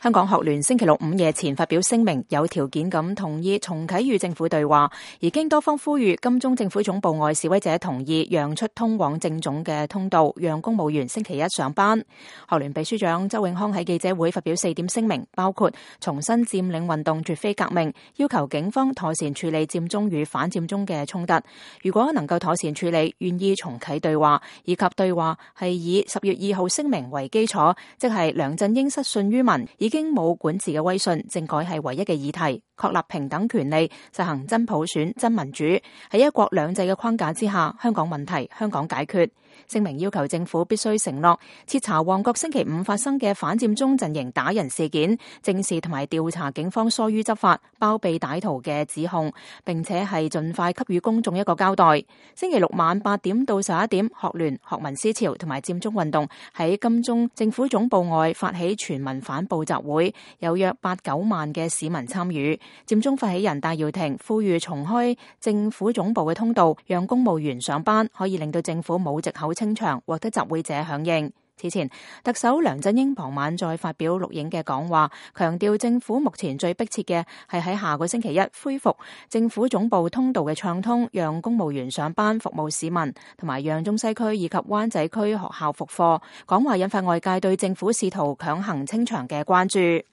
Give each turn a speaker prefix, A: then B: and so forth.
A: 香港學聯星期六午夜前發表聲明，有條件咁同意重啟與政府對話，而經多方呼籲，金鐘政府總部外示威者同意讓出通往政總嘅通道，讓公務員星期一上班。學聯秘書長周永康喺記者會發表4點聲明，包括重申佔領運動絕非革命，要求警方妥善處理佔中與反佔中嘅衝突。如果能夠妥善處理，願意重啟對話，以及對話係以10月2號聲明為基礎，即係梁振英失信於民，已經冇管治嘅威信，政改係唯一嘅議題，確立平等權利，實行真普選、真民主，喺一國兩制嘅框架之下，香港問題香港解決。聲明要求政府必須承諾徹查旺角星期五發生嘅反佔中陣營打人事件，正視同埋調查警方疏於執法、包庇歹徒嘅指控，並且係盡快給予公眾一個交代。星期六晚8點到11點，學聯、學民思潮同埋佔中運動喺金鐘政府總部外發起全民反暴集會，有約8-9萬嘅市民參與。佔中發起人戴耀廷呼籲重開政府總部嘅通道，讓公務員上班，可以令到政府冇藉口清場，獲得集會者響應。此前，特首梁振英傍晚再發表錄影嘅講話，強調政府目前最迫切嘅係喺下個星期一恢復政府總部通道嘅暢通，讓公務員上班服務市民，同埋讓中西區以及灣仔區學校復課。講話引發外界對政府試圖強行清場嘅關注。